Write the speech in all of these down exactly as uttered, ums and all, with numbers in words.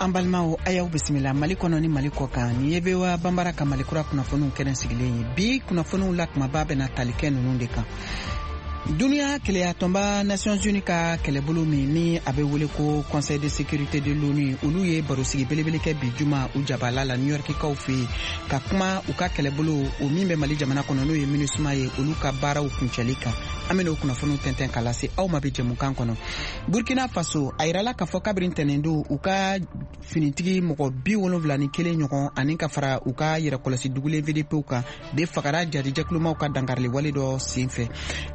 An balimaw, a y'aw bisimila Mali kɔnɔ ni Mali kɔ kan. Nin ye V O A Banbara ka Mali kura kunnafoniw kɛnɛ sigilen ye. Bi kunnafoniw la, kumaba bɛna tali kɛ ninnu de kan: Duniya kelenyatɔnba Nations Unies ka kɛlɛbolo min ni a bɛ wele ko Conseil de sécurité de l'ONU, olu ye barosigi belebele kɛ bi juma u jabala la New Yorkikaw fɛ yen, ka kuma u ka kɛlɛbolo o min bɛ Mali jamana kɔnɔ, n'o ye MINUSMA ye, olu ka baaraw kuncɛli kan. An bɛna o kunnafoniw tɛntɛn ka lase aw ma bi jɛmukan kɔnɔ. Burkina Faso, a yirala k'a fɔ kabiri ntɛnɛn u ka finitigi mɔgɔ bi wolonfila ni kelen ɲɔgɔn, ani ka fara u ka yɛrɛkɔlɔsi dugulen V D Pw kan, de fagara jarijɛkulumaw ka dankariliwale dɔ sen fɛ.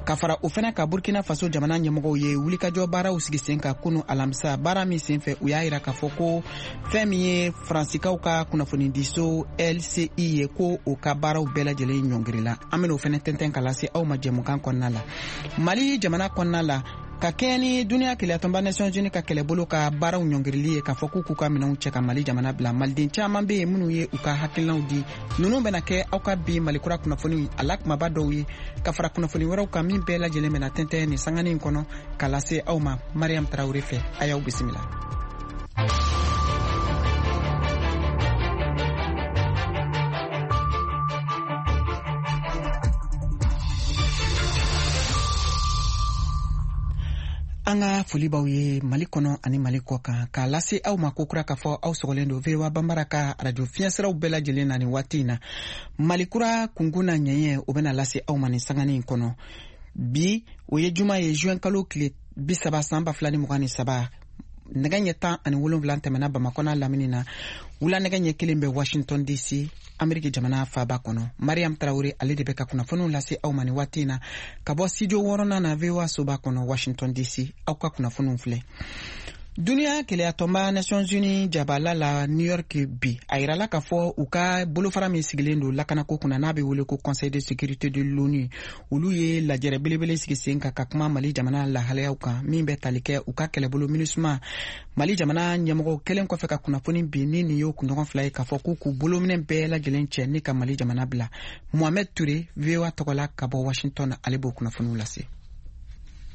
Ka fara o fana ka, Burkina Faso jamana ɲɛmɔgɔw ye wulikajɔ baaraw sigi sen kan kunu alamisa. Baara min sen fɛ, u y'a yira k'a fɔ ko fɛn min ye Faransikaw ka kunnafonidiso L C I ye, ko o ka baaraw bɛɛ lajɛlen ɲɔngirila. An bena o fɛnɛ tɛntɛn ka lase aw ma jɛmukan kɔnɔna la. Mali jamana kɔnɔna la, ka kɛɲɛ ni duniya kelenyatɔnba Nations Unies ka kɛlɛbolo ka baaraw ɲɔngirili ye, k'a fɔ k'u k'u ka minɛnw cɛ ka Mali jamana bila, maliden caaman be yen minnu ye u ka hakilinaw di. Ninnu bɛna kɛ aw ka bi Malikura kunnafoni a la kumaba dɔw ye, ka fara kunnafoni wɛrɛw kan min bɛɛ lajɛlen bɛna tɛntɛn nin sanganin kɔnɔ ka lase aw ma Mariam Tarawure fɛ. A y'aw bisimila. An ka foli b'aw ye Mali kɔnɔ ani Mali kɔ kan, k'a lase aw ma kokura k'a fɔ aw sɔgɔlen don V O A Banbara ka arajo fiɲɛsiraw bɛɛ lajɛlen na nin waati in na. Mali kura kunkun na ɲɛɲɛ, o bɛna lase aw ma nin sanganin kɔnɔ. Bi, o ye juma ye, juin kalo tile bi saba, san ba fila ni mugan ni saba. Nɛgɛ ɲɛ tan ani wolonwula tɛmɛna Bamakɔ n'a lamini na, wula nɛgɛ ɲɛ kelen bɛ Washington D C, Ameriki jamana faba kɔnɔ. Mariam Tarawure, ale de bɛ ka kunnafoniw lase aw ma nin waati in na ka bɔ studio wɔɔrɔnan na, V O A soba kɔnɔ, Washington D C. Aw ka kunnafoniw filɛ. Duniya kelenyatɔnba Nations Unies jabala la New York bi, a yirala k'a fɔ u ka bolofara min sigilen don lakanako kunna, n'a bɛ wele ko Conseil de sécurité de l'ONU, olu ye lajɛrɛ belebele sigi sen kan ka kuma Mali jamana lahalayaw kan min bɛ tali kɛ u ka kɛlɛbolo MINUSMA. Mali jamana ɲɛmɔgɔw kɛlen kɔfɛ ka kunnafoni bi ni nin y'o kunɲɔgɔn fila ye, k'a fɔ k'u k'u bolominɛ bɛɛ lajɛlen cɛ ni ka Mali jamana bila. Mohamed Ture, V O A tɔgɔ la ka bɔ Washington, ale b'o kunnafoniw lase.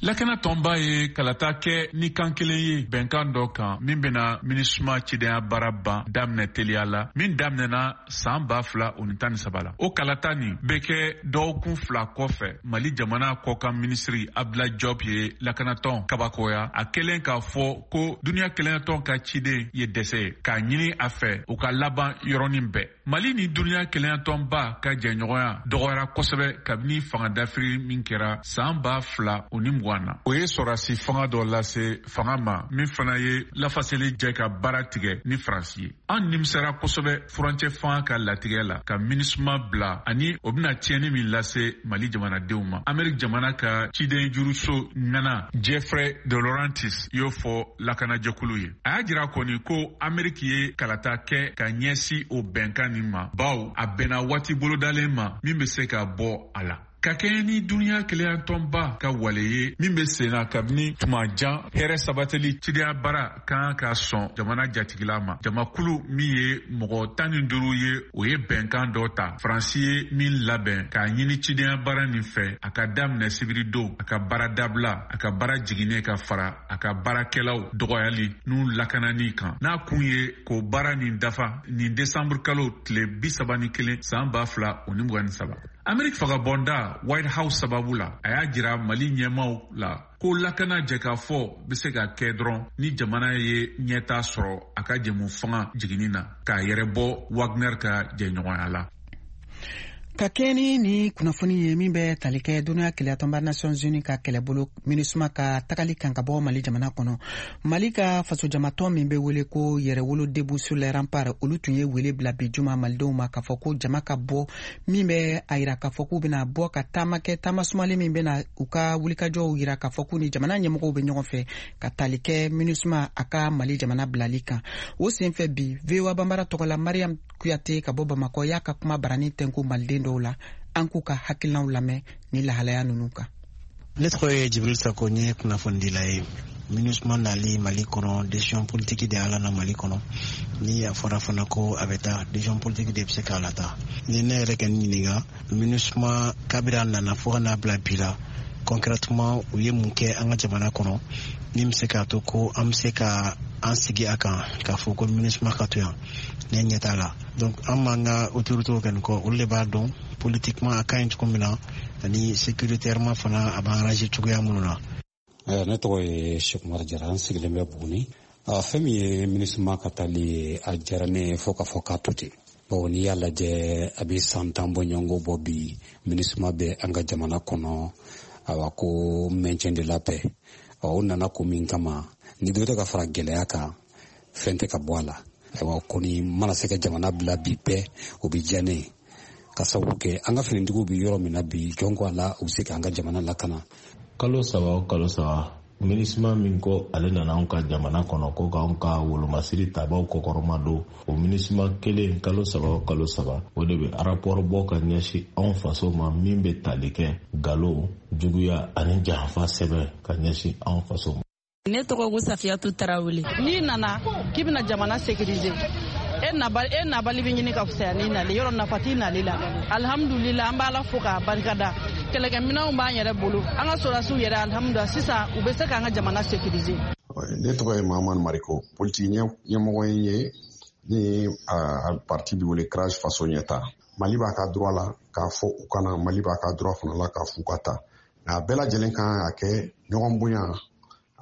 Lakana tɔnba ye kalata kɛ ni kan kelen ye bɛnkan dɔ kan min bena MINUSMA cidenya baara ban daminɛ teliya la, min daminɛna saan ba fila o ni tan ni saba la. O kalata nin bɛ kɛ dɔgɔkun fila kɔfɛ, Mali jamana kɔkan minisiri Abdoulaye Diop ye lakanatɔn kabakoya, a kɛlen k'a fɔ ko duniɲa kelenyatɔn ka ciden ye dɛsɛ ye, k'a ɲini a fɛ u ka laban yɔrɔnin bɛɛ. Mali ni duniɲa kelenyatɔnba ka jɛɲɔgɔnya dɔgɔyara kosɛbɛ kabini fanga dafiri min kɛra saan ba fila o ni mugan na. O ye sɔrasi fanga dɔ lase fanga ma min fana ye lafaseli jɛ ka baara tigɛ ni Faransi ye. An nimisara kosɛbɛ furancɛ fanga ka latigɛ la ka MINUSMA bila, ani o bɛna tiɲɛni min lase Mali jamanadenw ma, Ameriki jamana ka ciden juruso ŋana Jeffrey de Laurentis y'o fɔ lakanajɛkulu ye. A y'a jira kɔni ko Ameriki ye kalata kɛ ka ɲɛsi o bɛnkan nin ma, baw a bɛnna waati bolodalen ma min bɛ se ka bɔ a la. Ka kɛɲɛ ni duniɲa kelenyatɔnba ka wale ye min bɛ sen na kabini tuma jan, hɛrɛ sabatili cidenya baara kan ka sɔn jamana jatigila ma. Jamakulu min ye mɔgɔ tan ni duuru ye, o ye bɛnkan dɔ ta Faransi ye min labɛn k'a ɲini cidenya baara nin fɛ a ka daminɛ sibiridon, a ka baara dabila, a ka baara jiginnen, ka fara a ka baarakɛlaw dɔgɔyali n'u lakanani kan, n'a kun ye k'o baara nin dafa nin desanburu kalo tile bi saba ni kelen, san ba fila o ni mugan ni saba. Ameriki fagabɔnda White House sababu la, a y'a jira Mali ɲɛmaw la ko lakana jɛkafɔ bɛ se ka kɛ dɔrɔn ni jamana ye ɲɛta sɔrɔ a ka jɛmu fanga jiginni na, k'a yɛrɛ bɔ Wagner ka jɛɲɔgɔnya la. Ka kɛɲɛ ni ni kunnafoni ye min bɛ tali kɛ duniya kelenyatɔnba Nations Unies ka kɛlɛbolo MINUSMA ka tagali kan ka bɔ Mali jamana kɔnɔ, Mali ka fasojamatɔn min bɛ wele ko Yɛrɛwolo Debout sur les Remparts, olu tun ye wele bila bi juma malidenw ma k'a fɔ ko jama ka bɔ, min bɛ a yira k'a fɔ k'u bɛna bɔ ka taama kɛ, taama sumalen min bɛna u ka wulikajɔw yira k'a fɔ k'u ni jamana ɲɛmɔgɔw bɛ ɲɔgɔn fɛ ka tali kɛ MINUSMA a ka Mali jamana bilali kan. O senfɛ bi, V O A Banbara tɔgɔ la, Mariam Kuyate ka bɔ Bamakɔ y'a ka kuma barani tɛnku maliden dɔw la. An k'u ka hakilinaw lamɛn ni lahalaya ninnu kan. Ne tɔgɔ ye Jibril Sako, n ye kunnafonidila ye. MINUSMA nali Mali kɔnɔ, décision politique de y'a na Mali kɔnɔ. Ni a fɔra fana ko a bɛ taa, décision politique de bɛ se k'a lata. Ni ne yɛrɛ kɛ n ɲininka, MINUSMA kabiri a nana fo ka n'a bila bi la, concrètement u ye mun kɛ an ka jamana kɔnɔ min bɛ se k'a to ko an bɛ se ka An sigi a kan k'a fɔ ko MINUSMA ka to yan, ne ɲɛ t'a la. Donc an b'an ka autorités kɛ nin kɔ, olu de b'a dɔn politiquement a ka ɲi cogo min na, ani sécuritairement fana a b'an arranger cogoya minnu na. Ne tɔgɔ ye Sekumar Jara, an sigilen bɛ Buguni. Fɛn min ye MINUSMA ka taali ye, a diyara ne ye fo k'a fɔ k'a to ten, bawo n'i y'a lajɛ, a bɛ san tan bɔɲɔgɔnko bɔ bi, MINUSMA bɛ an ka jamana kɔnɔ. Awa, ko maintien de la paix, o nana ko min kama, ni dɔ tɛ ka fara gɛlɛya kan, fɛn tɛ ka bɔ a la. Ayiwa, kɔni mana se ka jamana bila bi bɛɛ, o bɛ diya ne ye, ka sababu kɛ an ka finitigiw bɛ yɔrɔ min na bi, jɔn ko a la, u bɛ se k'an ka jamana lakana. Kalo saba o kalo saba, MINUSMA min ko ale nana anw ka jamana kɔnɔ ko k'anw ka wolomasiri tabaw kɔkɔrɔma don, o MINUSMA kelen, kalo saba o kalo saba, o de bɛ rapport bɔ ka ɲɛsin anw faso ma, min bɛ tali kɛ galo, juguya ani janfa sɛbɛn ka ɲɛsin anw faso ma. Ne tɔgɔ ko Safiyatu Tarawele. N'i nana k'i bɛna jamana sécuriser, e nabali e nabali bɛ ɲini ka fisaya n'i nali yɔrɔ, nafa t'i nali la. Alihamudulila, an b'Ala fo k'a barikada, kɛlɛkɛminɛnw b'an yɛrɛ bolo, an ka sɔrɔdasiw yɛrɛ, alihamudulila, sisan u bɛ se k'an ka jamana sécuriser. Ne tɔgɔ ye Mahamadu Mariko, politiki ɲɛmɔgɔ ye ni a parti bɛ wele CRAJ Faso Ɲɛta. Mali b'a ka droit la k'a fɔ u kana, Mali b'a ka droit fana la k'a f'u ka taa, nka a bɛɛ lajɛlen kan ka kɛ ɲɔgɔn bonya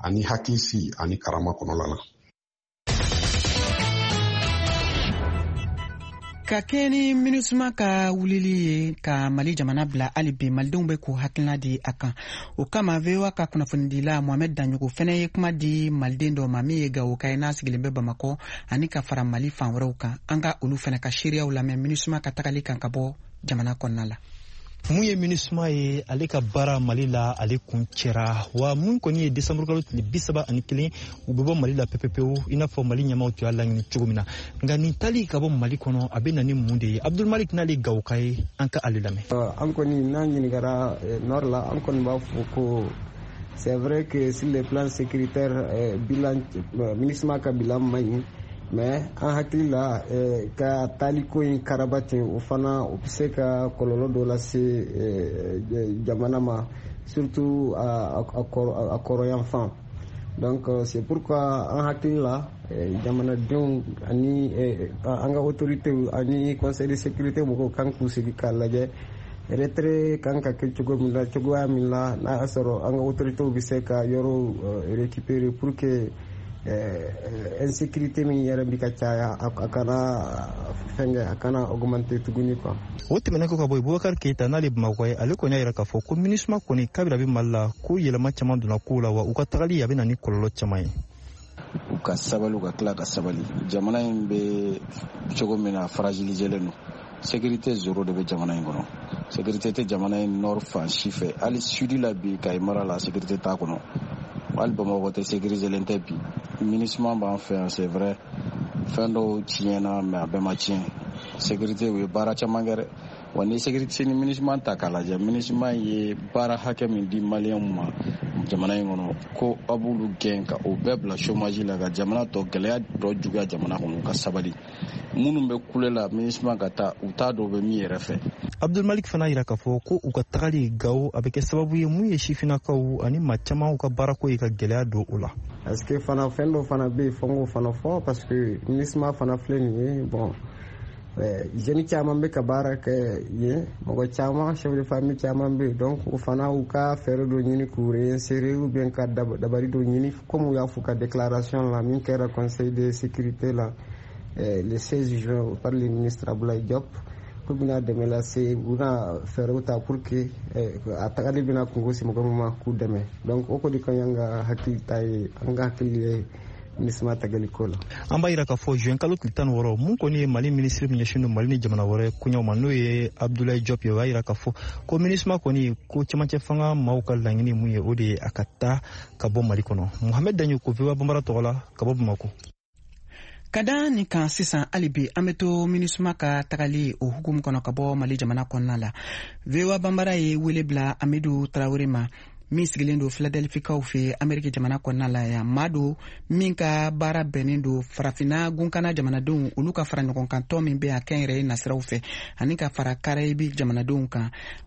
ani hakilisigi ani karama kɔnɔla la. Ka kɛ ni MINUSMA ka wulili ye ka Mali jamana bila, hali bi malidenw bɛ k'u hakilina di a kan. O kama, V O A ka kunnafonidila Mohamed Daɲogo fɛnɛ ye kuma di maliden dɔ ma min ye Gawoka ye, n'a sigilen bɛ Bamakɔ ani ka fara Mali fan wɛrɛw kan. An ka olu fɛnɛ ka seereyaw lamɛn MINUSMA ka tagali kan ka bɔ jamana kɔnɔna la. Mun ye MINUSMA ye, ale ka baara Mali la, ale kun cɛra wa? Mun kɔni ye desanburu kalo tile bi saba ani kelen, u bɛ bɔ Mali la pepepewu, i n'a fɔ Mali ɲɛmaw tun y'a laɲini cogo min na. Nka nin tali ka bɔ Mali kɔnɔ, a bɛ na ni mun de ye? Abdulmalik, n'ale Gawoka ye, an ka ale lamɛn. An kɔni n'an ɲininkara nord la, an kɔni b'a fɔ ko c'est vrai que sur le plan sécuritaire, bilan MINUSMA ka bilan man ɲi, mais an hakili la, ka taliko in karaba ten, o fana o bɛ se ka kɔlɔlɔ dɔ lase jamana ma, surtout a kɔrɔyanfan. Donc c'est pourquoi an hakili la, jamanadenw ani an ka autorités ani Conseil de sécurité mɔgɔw kan k'u sigi k'a lajɛ retrait kan ka kɛ cogo min na, cogoya min la n'a y'a sɔrɔ an ka autorités bɛ se ka yɔrɔw récupérer pour que insécurité min yɛrɛ bi ka caya, a kana fɛnkɛ, a kana augmenter tuguni quoi. O tɛmɛnen kɔ ka bɔ yen, Bubakari Keyita, n'ale Bamakɔ ye, ale kɔni y'a yira k'a fɔ ko MINUSMA kɔni, kabini a bɛ Mali la, ko yɛlɛma caman donna kow la, wa u ka tagali a bɛ na ni kɔlɔlɔ caman ye. U ka sabali, u ka tila ka sabali. Jamana in bɛ cogo min na, fragiliselen don, sécurité zéro de bɛ jamana in kɔnɔ. Sécurité tɛ jamana in nord fan si fɛ, hali sud la bi, Kayi mara la, sécurité t'a kɔnɔ, hali Bamakɔ tɛ sécuriselen tɛ bi. MINUSMA b'an fɛ yan, c'est vrai, fɛn dɔw tiɲɛna, mais a bɛɛ ma tiɲɛ. Sécurité, u ye baara caman kɛ dɛ. Wa ni sécurité ni MINUSMA ta k'a lajɛ, MINUSMA ye baara hakɛ min di maliyɛnw ma jamana in kɔnɔ, ko aw b'olu gɛn ka o bɛɛ bila chômage la, ka jamana tɔ gɛlɛya tɔ juguya jamana kɔnɔ. U ka sabali, minnu bɛ kule la MINUSMA ka taa, u t'a dɔn u bɛ min yɛrɛ fɛ. Abdulmalik fana yira k'a fɔ ko u ka tagali Gawo, a bɛ kɛ sababu ye mun ye sifinnakaw ani maa caman ka baarako ye ka gɛlɛya don o la. Parce que fana fɛn dɔ fana bɛ yen, fo n k'o fana fɔ, parce que MINUSMA fana filɛ nin ye, bon, jeune caman bɛ ka baara kɛ yen, mɔgɔ caman, chef de famille caman bɛ yen. Donc o fana, u ka fɛɛrɛ dɔ ɲini k'u réinsérer ou bien ka dabari dɔ ɲini, comme u y'a fɔ ka déclaration la min kɛra Conseil de sécurité la le seize juin par le ministre Abdoulaye Diop, k'u bɛna dɛmɛ lase, u bɛna fɛɛrɛw ta pour que a tagali bɛna kungo se mɔgɔ min ma, k'u dɛmɛ. Donc o kɔni ka ɲi, an ka hakili ta ye, an ka hakili ye MINUSMA tagali ko la. An b'a yira k'a fɔ juin kalo tile tan ni wɔɔrɔ, mun kɔni ye Mali minisiri min ɲɛsin don Mali ni jamana wɛrɛ koɲɛw ma, n'o ye Abdoulaye Diop ye, o y'a yira k'a fɔ ko MINUSMA kɔni, ko cɛmancɛ fanga maaw ka laɲini mun ye, o de ye a ka taa ka bɔ Mali kɔnɔ. Mohamed Daɲo ko V O A Banbara tɔgɔ la ka bɔ Bamako. Ka da nin kan sisan, hali bi an bɛ to MINUSMA ka tagali o hukumu kɔnɔ ka bɔ Mali jamana kɔnɔna la. V O A Banbara ye wele bila Amidu Tarawele ma, min sigilen don Filadelfikaw fɛ Ameriki jamana kɔnɔna la yan. Maa don min ka baara bɛnnen don Farafinna gunkana jamanadenw olu ka fara ɲɔgɔn kan tɔn min bɛ a kɛnyɛrɛye nasiraw fɛ, ani ka fara Karayibi jamanadenw kan.